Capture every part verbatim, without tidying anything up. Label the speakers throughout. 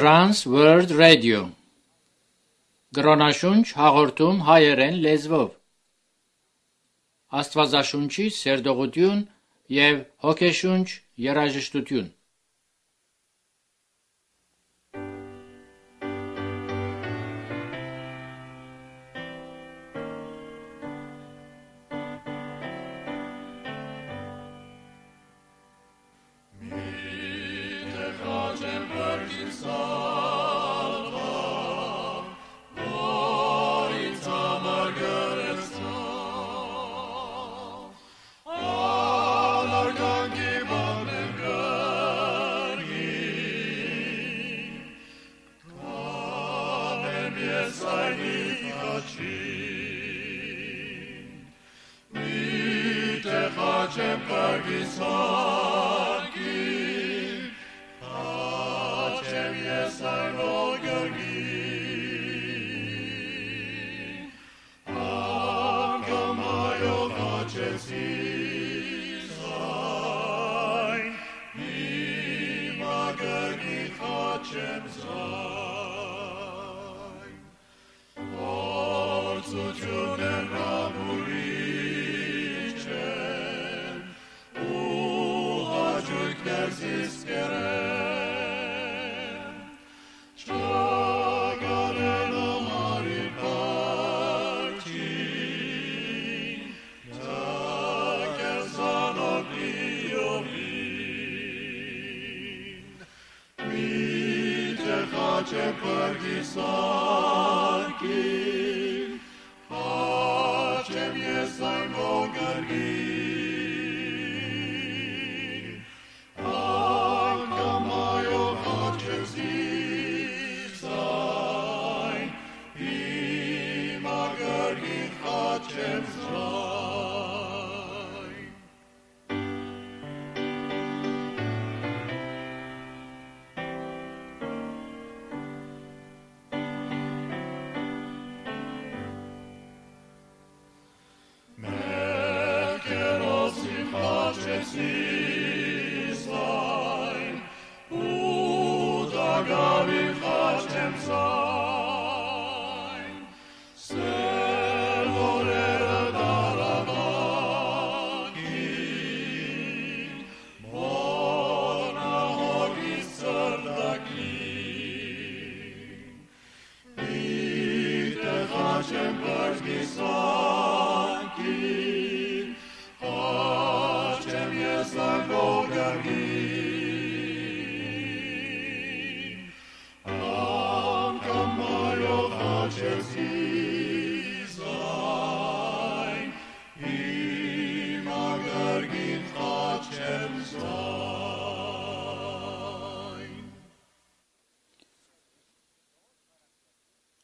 Speaker 1: Trans World Radio Գրոնաշունչ հաղորդում հայերեն լեզվով Աստվածաշունչի սերտողություն և հոգեշունչ երաժշտություն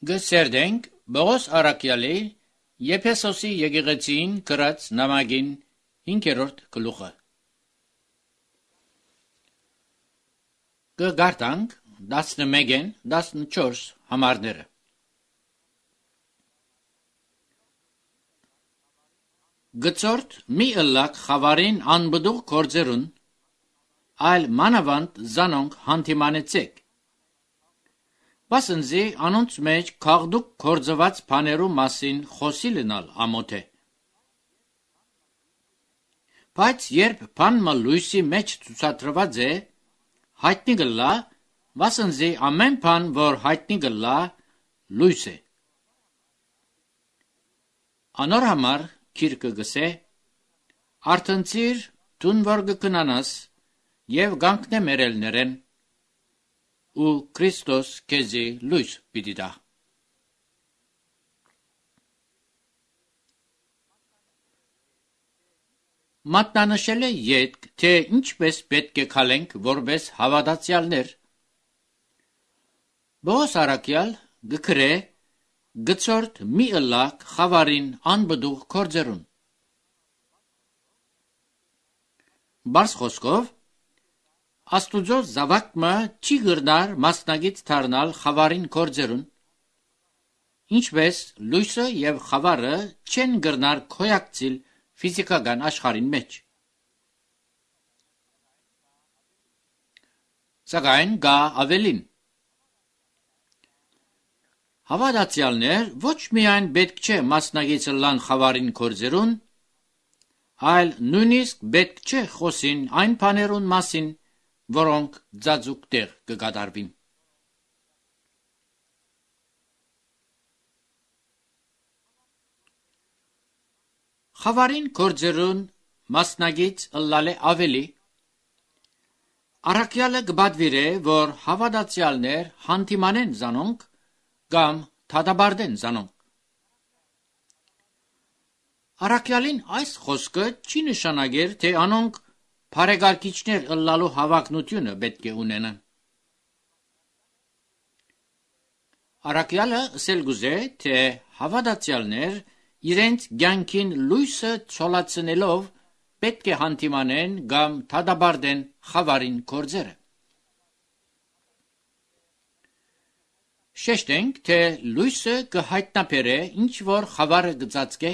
Speaker 1: Գսերդենք Բողոս Արաքյալի Եփեսոսի եկեղեցին գրած նամակին հինգերորդ գլուխը Գգարտանք տասնմեկն տասնչորս համարները Գծորդ մի ըլլակ խավարին անբդուղ կործերուն այլ մանավանդ զանոնք հանդիմանեցեք Բասնզի անոնց մեջ քաղդուկ կործված բաներու մասին խոսի լինալ ամոթ է Բայց երբ բանմը լույսի մեջ ցուցադրված է հայտնի գլա բասնզի ամեն բան որ հայտնի գլա լույս է Անոր համար քիրկը գսե Արթնցիր դուն որ գկնանաս եւ գանքնե մերելներեն ու Քրիստոս քեզի լույս պիտի տա Մատնանշել է յետք, թե ինչպես պետք է քալենք որպես հավատացյալներ Բողոս Արաքյալ գկրե գծորդ մի ըլլակ խավարին անբդուղ կործերուն Բարս խոսքով Աստուծո զավակը չի գրնար մասնագիտ դառնալ խավարին կործերուն Ինչպես լույսը եւ խավարը չեն գրնար քոյակցիլ ֆիզիկական աշխարհին մեջ Սակայն գա ավելին Հավատացյալներ ոչ միայն պետք չէ մասնագիտ լան խավարին կորձերուն, այլ նույնիսկ պետք չէ խոսին այն բաներուն մասին, որոնք ձաձուկ տեղ կգադարվին։ Խավարին կորձերուն մասնագիտ ըլլալ է ավելի, առաքյալը կբադվիր է, որ հավատացյալներ հանդիմանեն զանոնք կամ թադաբարդեն զանոնք։ Առաքյալին այս խոսքը չի նշանակեր, թե անոնք բարեկարգիչներ ըլլալու հավակնությունը պետք է ունենան։ Առաքյալը ասել գուզե, թե հավատացյալներ իրենց կյանքին լույսը ցոլացնելով պետք է հանդիմանեն կամ թադաբարդեն խավարին կորձերը։ Շեշտենք, թե լույսը կհայտնաբերե ինչ որ խավարը գծածկե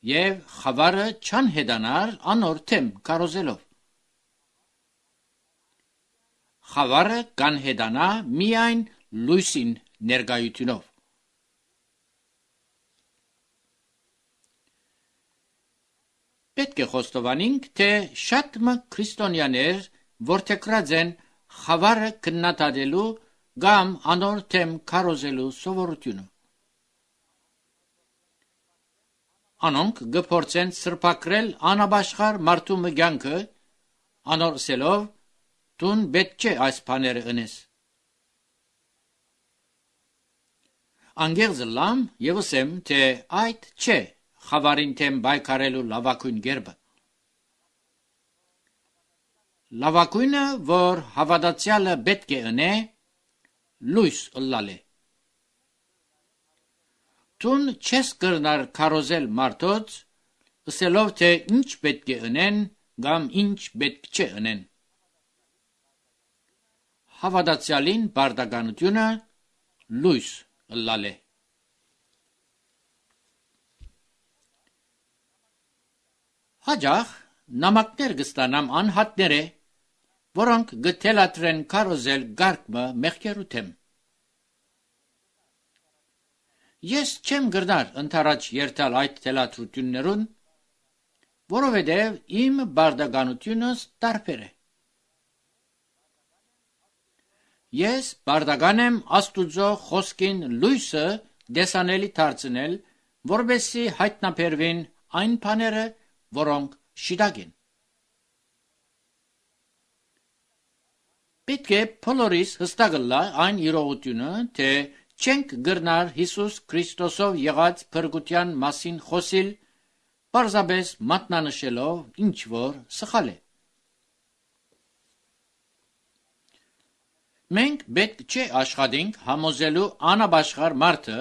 Speaker 1: և խավարը չան հետանար անոր թեմ կարոզելով։ Խավարը կան հետանա միայն լույսին ներկայությունով։ Պետք է խոստովանենք, թե շատ մը քրիստոնյաներ որդեգրած են խավարը քննադատելու կամ անոր թեմ քարոզելու սովորությունը։ Անոնք գփորձեն սրբակրել անաբաշխար մարդու մգյանքը, անոր սելով դուն պետք չէ այս բաները ընես։ Անգեղձ լամ եւ ասեմ, թե այդ չէ խավարին թեմ բայկարելու լավակույն գերբը։ Լավակույնը, որ հավատացյալը պետք է ընե, լույս ըլլալ է։ Դուն չես կրնար քարոզել մարդոց, ասելով, թե ինչ պետք է ընեն կամ ինչ պետք չէ ընեն։ Հավատացյալին բարդականությունը լույս ըլլալ է։ Հաջախ նամակներ կստանամ անհատները, որոնք գթելատրեն քարոզել գարկմը մեղքերու թեմ։ Ես չեմ գրնար ընթരാճ երթալ այդ թելատրություններուն, որովհետև իմ բարդականությունս տարբեր է։ Ես բարդական եմ Աստուծո խոսքին լույսը դեսանելի դարձնել, որպեսզի հայտնաբերվին այն բաները, որոնք շիտակ են։ Պետք է բոլորիս հստակ ըլլա այն իրողությունը, թե չենք գրնար Հիսուս Քրիստոսով եղած փրկության մասին խոսիլ, պարզապես մատնանշելով ինչ որ սխալ է։ Մենք պետք չէ աշխատենք համոզելու անաբաշխար մարդը,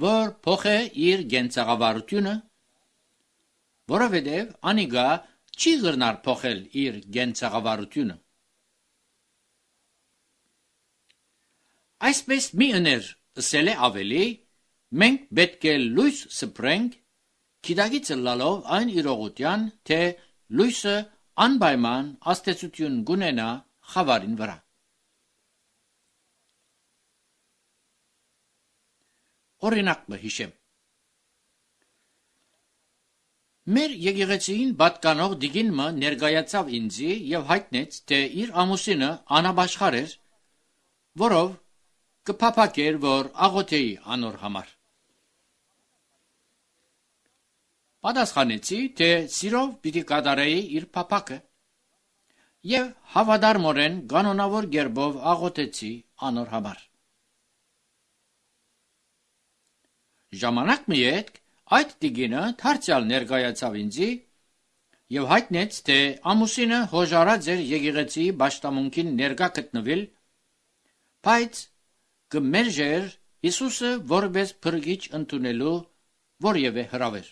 Speaker 1: որ փոխե իր գենցաղավարությունը, որովհետև անիգա չի գրնար փոխել իր գենցաղավարությունը։ Այսպես մի ըներ ասել է ավելի, մենք պետք է լույս սփռենք, գիտակից ըլլալով այն իրողության, թե լույսը անպայման աստեցություն գունենա խավարին վրա։ Օրինակ մը հիշեմ։ Մեր եկեղեցին պատկանող դիգինը ներկայացավ ինձի եւ հայտնեց, թե իր ամուսինը անաբաշխար էր, որով կփափակեր, որ աղոթեի անոր համար։ Պատասխանեցի, թե սիրով պիտի կատարեի իր փափակը եւ հավատարմորեն կանոնավոր գերբով աղոթեցի անոր համար։ Ժամանակ մի հետ այդ դիգինը դարձյալ ներկայացավ ինձի եւ հայտնեց, թե ամուսինը հոժարած էր եկեղեցի պաշտամունքին ներկա գտնվել, բայց կմերժեր Հիսուսը որպես փրկիչ ընդունելու որևէ հրավեր։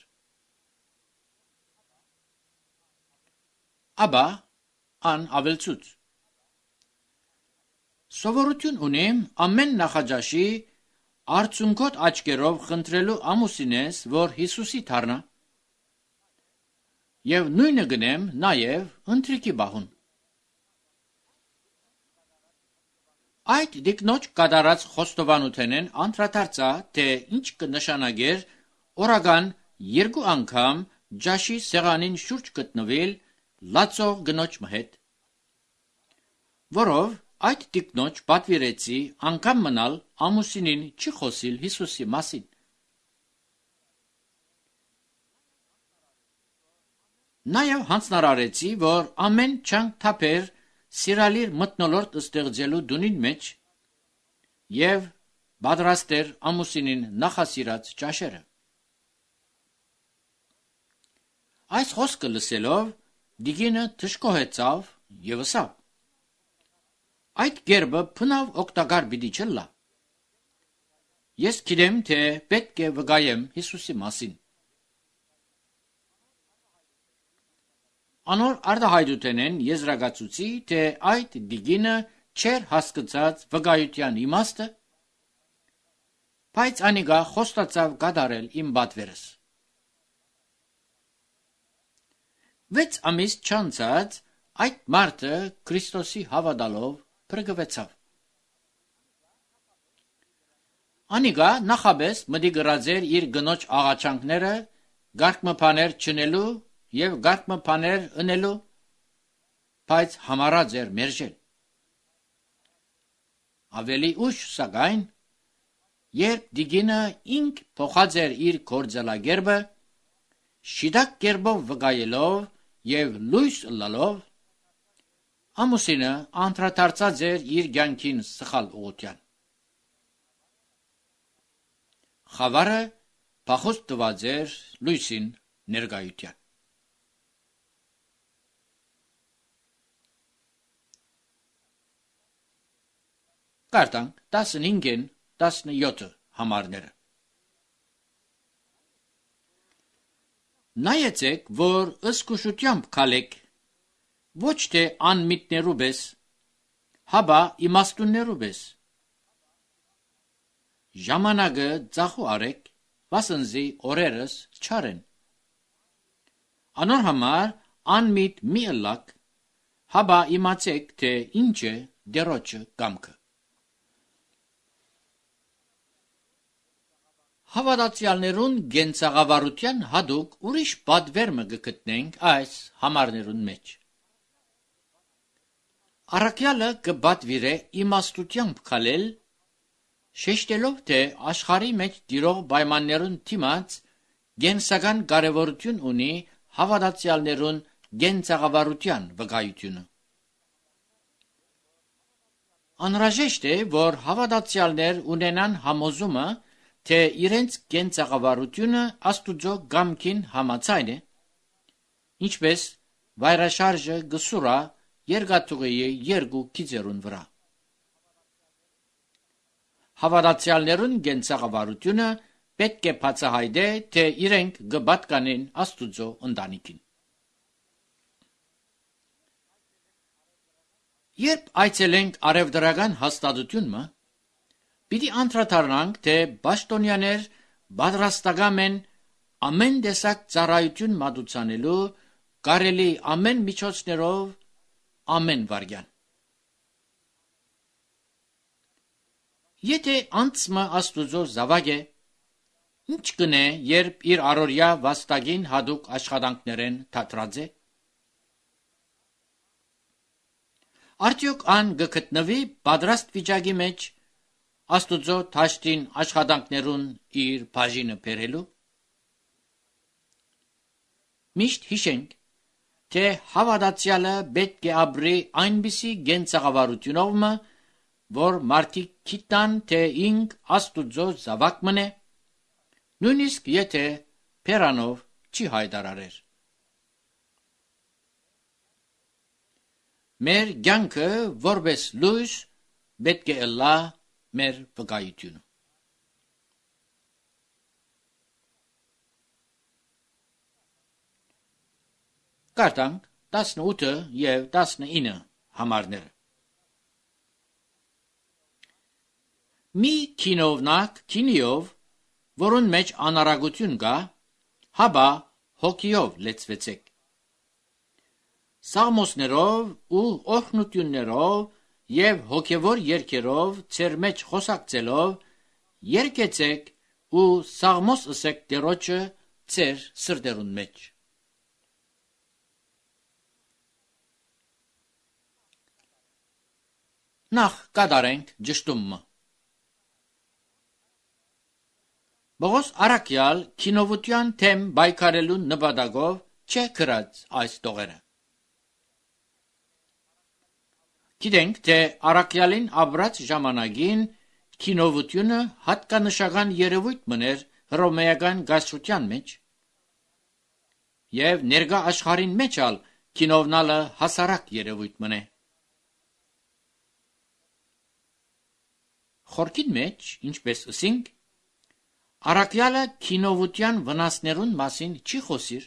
Speaker 1: Աբա ան ավելցուց։ Սովորություն ունեմ ամեն նախաճաշի արցունքոտ աչքերով խնդրելու ամուսինես, որ Հիսուսի դառնա, եւ նույնը գնեմ նաեւ ընթրիքի բահուն։ Այդ դիկնոջ կատարած խոստովանութենեն անդրադարձա, թե ինչ կնշանակեր օրական երկու անգամ ջաշի սեղանին շուրջ գտնվել լացող գնոջ հետ, որով այդ դիկնոջ պատվիրեցի անգամ մնալ ամուսինին չի խոսիլ Հիսուսի մասին։ Նաև հանձնարարեցի, որ ամեն չանք թափեր սիրալիր մթնոլորտ ստեղծելու դունին մեջ և պատրաստեր ամուսինին նախասիրած ճաշերը։ Այս խոսքը լսելով դիգինը թշկոհեցավ և ասավ. այդ գերբը փնավ օգտակար պիտի չլա։ Ես գիտեմ, թե պետք է վկայեմ Հիսուսի մասին։ Անոր արտահայտութենեն եզրակացուցի, թե այդ դիգինը չէր հասկացած վկայության իմաստը, բայց անիկա խոստացավ կատարել իմ պատվերս։ Վեց ամիս չանցած այդ մարդը Քրիստոսի հավատալով փրկվեցավ։ Անիկա նախաբես մտի գրած էր իր գնոջ աղաչանքները գարկմփաներ չնելու և գարկմփաներ ընելու, բայց համարած էր մերժել։ Ավելի ուշ սակայն, երբ դիգինը ինք փոխած էր իր գործելագերբը, շիտակ կերպով վկայելով և լույս լալով, ամուսինը անդրադարձած էր իր կյանքին սխալ ուղղության։ Խավարը փախուստ տված էր լույսին ներկայության։ Կարդանք տասնհինգին տասնյոթ համարները։ Նայեցեք, որ ըսկուշությամբ քալեք, ոչ թե անմիտներու պես, հաբա իմաստուններու պես։ Ժամանակը ծախու արեք, վասնզի օրերս չարեն։ Անոր համար անմիտ մի ըլլակ, հաբա իմացեք, թե ինչ է դերոջը կամքը։ Հավատացյալներուն գենցաղավարության հադուկ ուրիշ պատվերմը կգտնենք այս համարներուն մեջ։ Առաքյալը կպատվիրե իմաստությամբ քալել, շեշտելով, թե աշխարհի մեջ տիրող պայմաններուն դիմաց գենսական կարևորություն ունի հավատացյալներուն գենցաղավարության վկայությունը։ Անհրաժեշտ է, որ հավատացյալներ ունենան համոզումը, թե իրենց գենցաղավարությունը Աստուծո կամքին համաձայն է, ինչպես վայրաշարժը գսուրա երկաթուղիի երկու գիծերուն վրա։ Հավատացյալներուն գենցաղավարությունը պետք է բացահայտե, թե իրենք կպատկանեն Աստուծո ընտանիքին։ Երբ այցելենք արևդրական հաստատությունը, պիտի անդրադառնանք, թե պաշտոնյաներ պատրաստական են ամեն տեսակ ծառայություն մատուցանելու կարելի ամեն միջոցներով ամեն վարյան։ Եթե անցմը Աստուծո զավակ է, ինչ կնե, երբ իր առօրյա վաստակին հատուկ աշխատանքներեն թատրած է։ Արդյոք ան կգտնվի պատրաստ վիճակի մեջ Աստուծո թաշտին աշխատանքներուն իր բաժինը բերելու։ Միշտ հիշենք, թե հավատացյալը պետք է ապրի այնպիսի գենցաղավարությունով, որ մարդիկ գիտան, թե ինք Աստուծո զավակ մնե, նույնիսկ եթե բերանով չի հայտարարեր։ Մեր կյանքը որպես լույս պետք է ըլլա մեր վկայությունը։ Կարդանք տասնութը և տասնինը համարները։ Մի քինովնակ քինիով, որուն մեջ անարագություն կա, հաբա հոգիով լեցվեցեք։ Սաղմոսներով ու օրհնություններով եւ հոգեվոր երգերով ցեր մեջ խոսակցելով երկեցեք ու սաղմոս ըսեք Տերոջը ցեր սրտերուն մեջ։ Նախ կատարենք ճշտումը։ Բողոս Արաքյալ քինովության թեմ բայկարելու նպատակով չէ գրած այս տողերը։ Գիտենք, թե Արաքյալին ապրած ժամանակին քինովությունը հատկանշական երևույթ մներ հռոմեական գայսրության մեջ եւ ներկա աշխարհին մեջ ալ քինովնալը հասարակ երևույթ մնե։ Խորքին մեջ, ինչպես ասինք, Արաքյալը քինովության վնասներուն մասին չի խոսիր,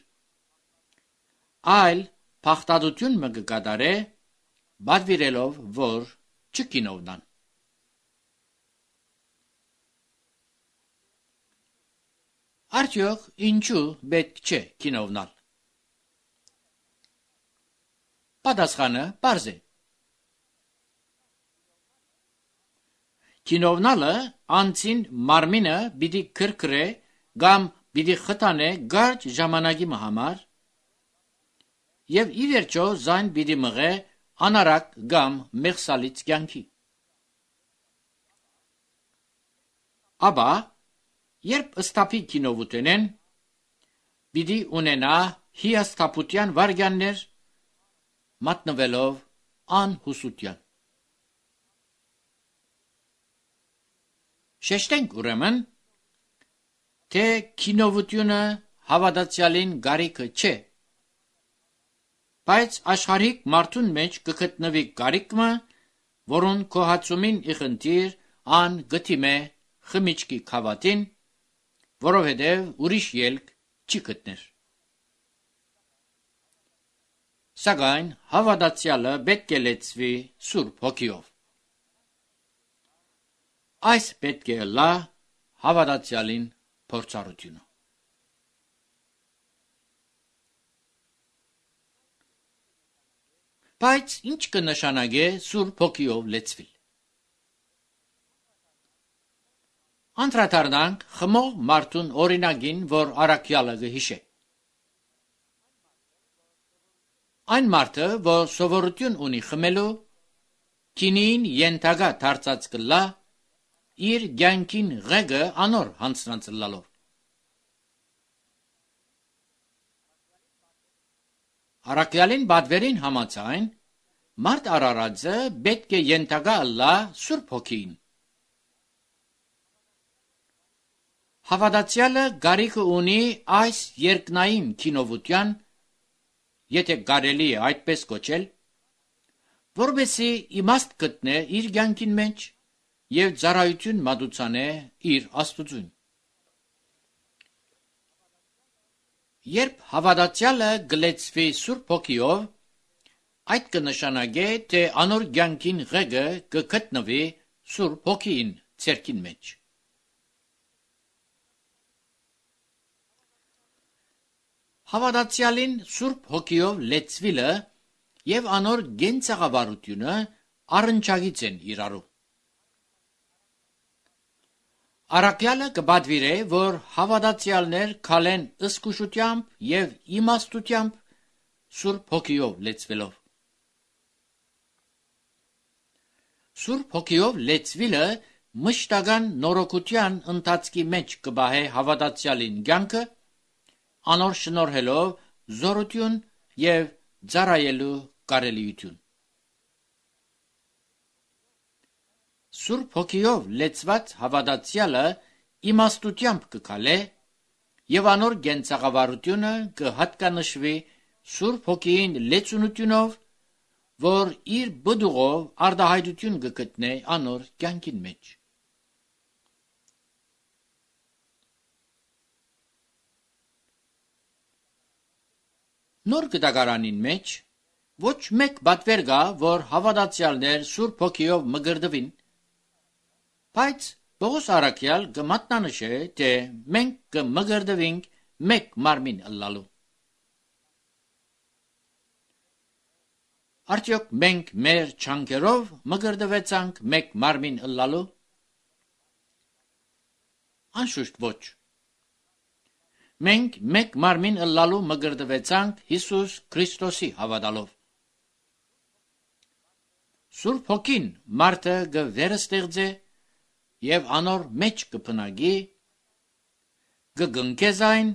Speaker 1: այլ փախտadություն մը կկատարե, բադվիրելով, որ չքինովնան։ Արդյոք ինչու պետք չէ քինովնալ։ Պատասխանը պարզ է։ Քինովնալը անցին մարմինը պիտի քրքրե կամ պիտի խթանե կարճ ժամանակի համար եւ ի վերջո զայն պիտի մղե անարակ կամ մեղսալից կյանքի։ Աբա երբ ստապի քինովութենեն պիտի ունենա հիասթափության վարգյաններ մատնվելով անհուսության։ Շեշտենք ուրեմն, թե քինովությունը հավատացյալին գարիքը չէ, բայց աշխարհիկ մարդուն մեջ կգտնվի գարիկը, որուն կոհացումին իխնդիր ան գտիմե խմիչքի քավատին, որովհետև ուրիշ ելք չի գտներ։ Սակայն հավատացյալը պետք է լեցվի Սուրբ Հոգիով։ Այս պետք է լա հավատացյալին փորձառությունը։ Բայց ինչ կնշանակե Սուրբ Հոգիով լեցվել։ Անդրադառնանք խմող մարդուն օրինագին, որ Արաքյալը կհիշե։ Այն մարդը, որ սովորություն ունի խմելու, քինին ենթակա դարձած կլա իր կյանքին ղեկը անոր հանցնացլալով։ Արաքյալին բադվերին համաձայն մարդ արարածը պետք է ենթակա լա Սուրբ Հոգին։ Հավատացյալը գարիքը ունի այս երկնային քինովության, եթե կարելի է այդպես կոչել, որովհետեւ իմաստ գտնե իր կյանքին մեջ եւ ծառայություն մատուցանե իր Աստծուն։ Երբ հավատացյալը գլեցվի Սուրբ Հոգիով, այդ կնշանակե, թե անոր կյանքին ղեկը կգտնվի Սուրբ Հոգին ցերքին մեջ։ Հավատացյալին Սուրբ Հոգիով լեցվելը եւ անոր գենցաղավարությունը առնչագից են իրարու։ Արաքյալը կբադվիրե, որ հավատացյալներ քալեն ըսկուշությամբ եւ իմաստությամբ Սուրբ Հոգիով լեցվելով։ Սուրբ Հոգիով լեցվելը մշտական նորոգության ընթացքի մեջ կբահե հավատացյալին կյանքը, անոր շնորհելով զորություն եւ ծառայելու կարելիություն։ Սուրբ Հոգիով լեցված հավատացյալը իմաստությամբ կքալե եւ անոր գենցաղավարությունը կհատկանշվի Սուրբ Հոգիին լեցունությունով, որ իր բդուղով արդահայտություն կգտնե անոր կյանքին մեջ։ Նոր գտակարանին մեջ ոչ մեկ բատվեր կա, որ հավատացյալներ Սուրբ Հոգիով մգրդվին, բայց Պողոս Արաքյալ կմատնանշե, թե մենք կմգրդվենք մեկ մարմին ըլլալու։ Արդյոք մենք մեր չանկերով մգրդվեցանք մեկ մարմին ըլլալու։ Անշուշտ ոչ։ Մենք մեկ մարմին ըլլալու մգրդվեցանք Հիսուս Քրիստոսի հավատալով։ Սուրբ Հոգին մարդը գվերստեղծե եւ անոր մեջ կփնագի, կգնկեզայն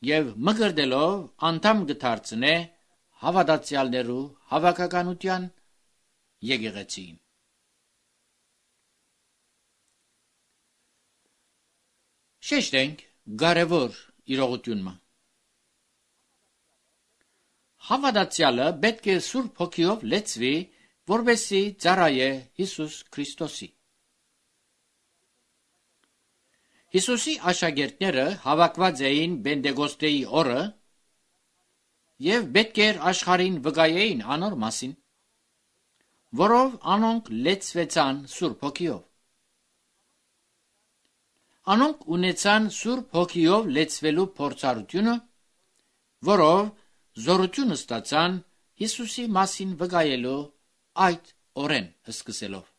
Speaker 1: եւ մգրդելով անդամ գդարցնե հավատացյալներու հավաքականության եկեղեցին։ Շեշտենք կարևոր իրողությունը։ Հավատացյալը պետք է Սուրբ Հոգիով լեցվի, որպեսզի ծառայե Հիսուս Քրիստոսի։ Հիսուսի աշակերտները հավաքված էին Պենտեկոստեի օրը եւ պետք էր աշխարհին վկայեին անոր մասին, որով անոնք լեցվեցան Սուրբ Հոգիով։ Անոնք ունեցան Սուրբ Հոգիով լեցվելու փորձառությունը, որով զորություն ստացան Հիսուսի մասին վկայելու այդ օրեն սկսելով։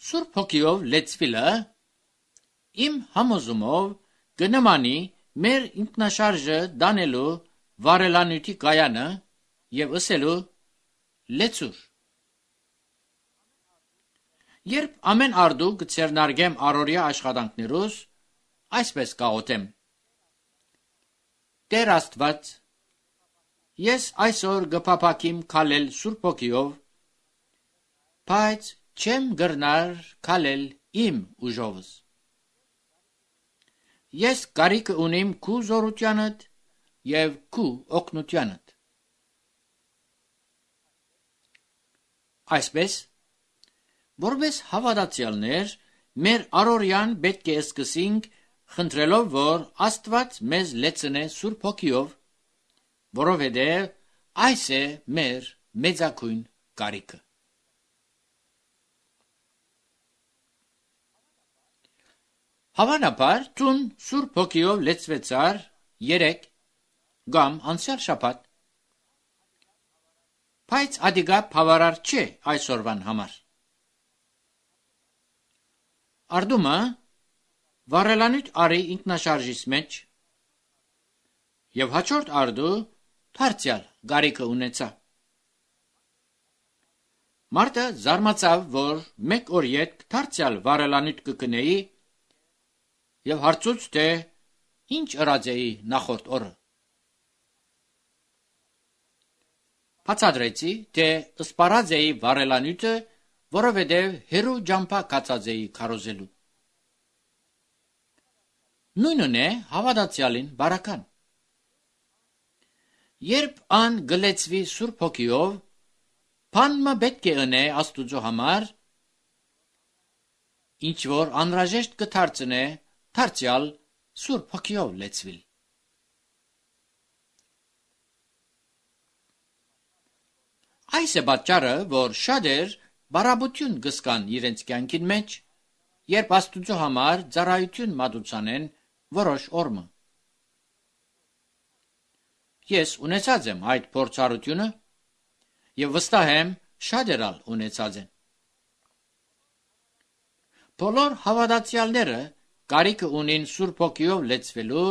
Speaker 1: Սուրբ Հոգիով լեցվելը իմ համոզումով կնմանի մեր ինքնաշարժը դանելու վարելանյութի կայանը եւ ըսելու լեցուր։ Երբ ամեն արդու կցերնարգեմ առօրյա աշխատանքներուս, այսպես կաղոթեմ. Տեր Աստված, ես այսօր կփափակիմ քալել Սուրբ Հոգիով, բայց չեմ գրնար քալել իմ ուժովս։ Ես կարիք ունիմ քու զորությանդ եւ քու օգնությանդ։ Այսպես, որպես հավատացյալներ, մեր առօրյան պետք է սկսենք խնդրելով, որ Աստված մեզ լեցնե Սուրբ Հոգիով, որովհետև այս է մեր մեծագույն կարիքը։ Հավանաբար տուն Սուրբ Հոգիով լեցվեցար երեք կամ անցյալ շաբաթ, բայց ադիգա բավարար չէ այսօրվան համար։ Արդումը վարելանյութ արի ինքնաշարժից մեջ եւ հաջորդ արդու դարձյալ գարիկը ունեցա։ Մարդը զարմացավ, որ մեկ օր յետ դարձյալ վարելանյութ կգնեի եւ հարցուց, թե ինչ ըրած էի նախորդ օրը։ Բացատրեցի, թե սպարած էի վարելանյութը, որովհետև հերու ջամփա կացած էի քարոզելու։ Նույնն է հավատացյալին բարական։ Երբ ան գլեցվի Սուրբ Հոգիով, բանը պետք է ընե Աստուծո համար, ինչ որ անհրաժեշտ կդարձնե դարձյալ Սուրբ Հոգիով լեցվել։ Այս է պատճառը, որ շատեր բարաբություն կզգան իրենց կյանքին մեջ, երբ Աստուծո համար ծառայություն մատուցանեն որոշ օրը։ Ես ունեցած եմ այդ փորձառությունը եւ վստահ եմ շատեր ալ ունեցած են։ Բոլոր հավատացյալները կարիք ունին Սուրբ Հոգիով լեցվելու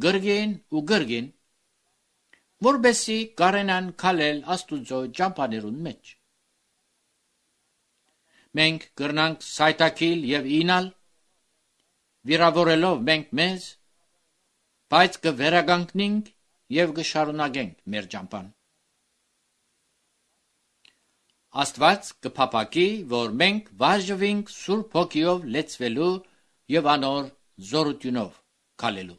Speaker 1: գրգին ու գրգին, որբեսի կարենան քալել Աստուծո ճամփաներուն մեջ։ Մենք կրնանք սայթաքիլ եւ ինալ, վիրավորելով մենք մեզ, բայց կվերագանքնենք եւ կշարունակենք մեր ճամփան։ Աստված կփափակի, որ մենք վարժվենք Սուրբ Հոգիով լեցվելու եւ անոր զորությունով քալելու։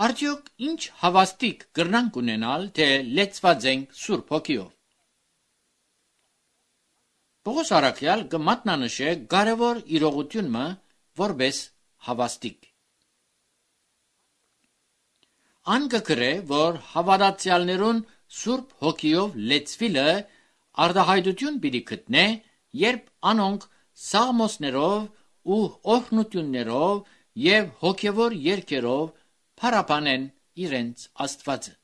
Speaker 1: Արդյոք ինչ հավաստիկ կրնանք ունենալ, թե լեցված ենք Սուրբ Հոգիով։ Պողոս առաքյալ կմատնանշե կարևոր իրողությունը որպես հավաստիկ։ Ան կգրե, որ հավատացյալներուն Սուրբ Հոգիով լեցվելը արտահայտություն պիտի գտնե, երբ անոնք սաղմոսներով ու օրհնություններով և հոգևոր երգերով փառաբանեն իրենց Աստվածը։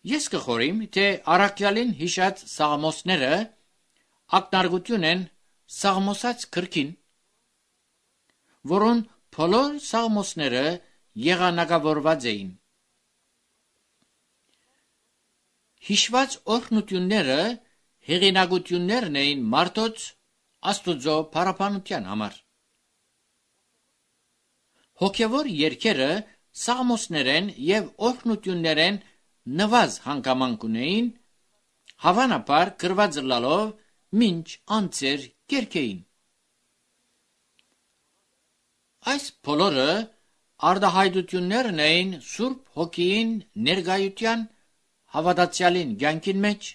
Speaker 1: Ես կխորիմ, թե առաքյալին հիշած սաղմոսները ակնարկություն են Սաղմոսած գրքին, որոն բոլոր սաղմոսները եղանակավորված էին։ Հիշված օրհնությունները հեղինակություններն էին մարդոց Աստուծո փառաբանության համար։ Հոգևոր երգերը սաղմոսներեն և օրհնություններեն նվազ հանգամանք ունեին, հավանաբար գրված լալով մինչ անձեր կերքեին։ Այս բոլորը արտահայտություններն էին Սուրբ Հոգիին ներկայության հավատացյալին կյանքին մեջ,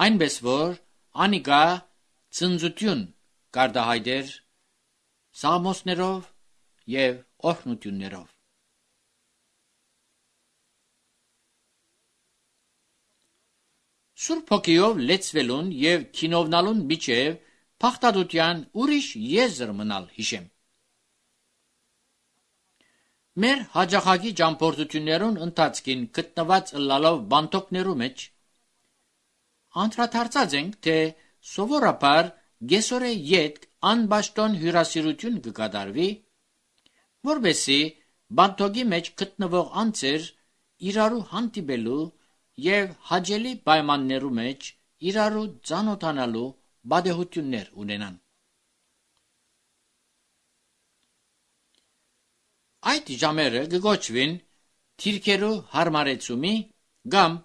Speaker 1: այնպես որ անիկա ցնծություն կարտահայտեր սաղմոսներով և օրհնություններով։ Սուրբ Հոգիով լեցվելուն և քինովնալուն միջև փախտատության ուրիշ եզր մնալ հիշեմ։ Մեր հաջողակի ճամփորդություններուն ընթացքին գտնված ըլլալով բանտոկներու մեջ անդրադարձած ենք, թե սովորաբար գեսորե ետք անպաշտոն հյուրասիրություն կկատարվի, որպեսզի բանտոկի մեջ գտնվող անձեր իրարու հանդիպելու և հաճելի պայմաններու մեջ իրարու ծանոթանալու պատեհություններ ունենան։ Այդ ժամերը կգոչվին թիրքերու հարմարեցումի կամ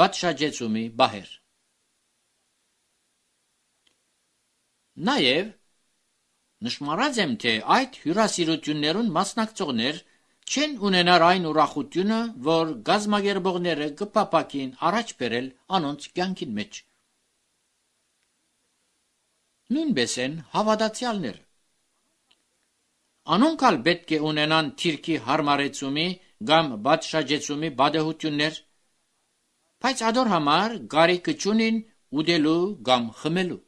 Speaker 1: պատշաճեցումի բահեր։ Նաև նշմարած եմ, թե այդ հյուրասիրություններուն մասնակցողներ չեն ունենար այն ուրախությունը, որ գազմագերբողները կփապակին առաջ բերել անոնց կյանքին մեջ։ Նույնպես են հավատացյալներ։ Անոնք ալ պետք է ունենան թիրքի հարմարեցումի կամ պատշաճեցումի պատեհություններ, բայց ադոր համար կարիք չունին ուտելու կամ խմելու։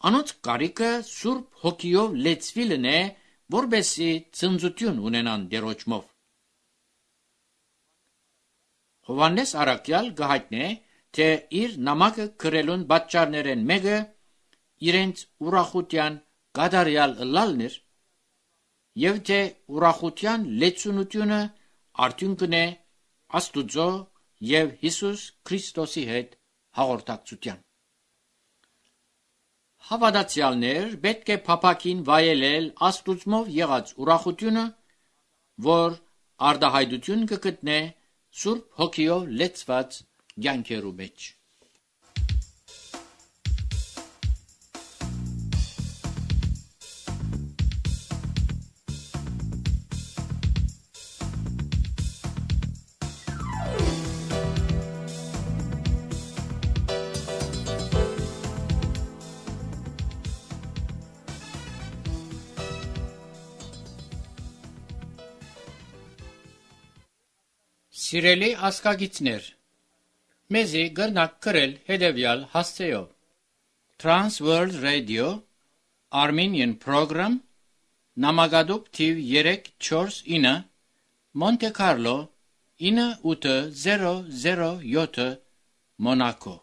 Speaker 1: Անոնց կարիքը Սուրբ Հոգիով լեցվելն է, որպեսզի ցնծություն ունենան Տերոջմով։ Հովհաննես առաքյալ կհայտնե, թե իր նամակը գրելուն պատճառներեն մեկը իրենց ուրախության կատարյալ ըլլալն էր, և թե ուրախության լեցունությունը արդյունքն է Աստուծո և Հիսուս Քրիստոսի հետ հաղորդակցության։ Հավատացյալներ պետք է փափակին վայելել Աստուծմով եղած ուրախությունը, որ արտահայտություն կգտնե Սուրբ Հոգիով լեցված կյանքերու մեջ։ Սիրելի ազգագիցներ, մեզի գրնակ գրել հետևյալ հասցեով. Trans World Radio Armenian Program Նամակադուկ թիվ երեք չորս ինը Monte Carlo ինը ութ զերո զերո յոթ Monaco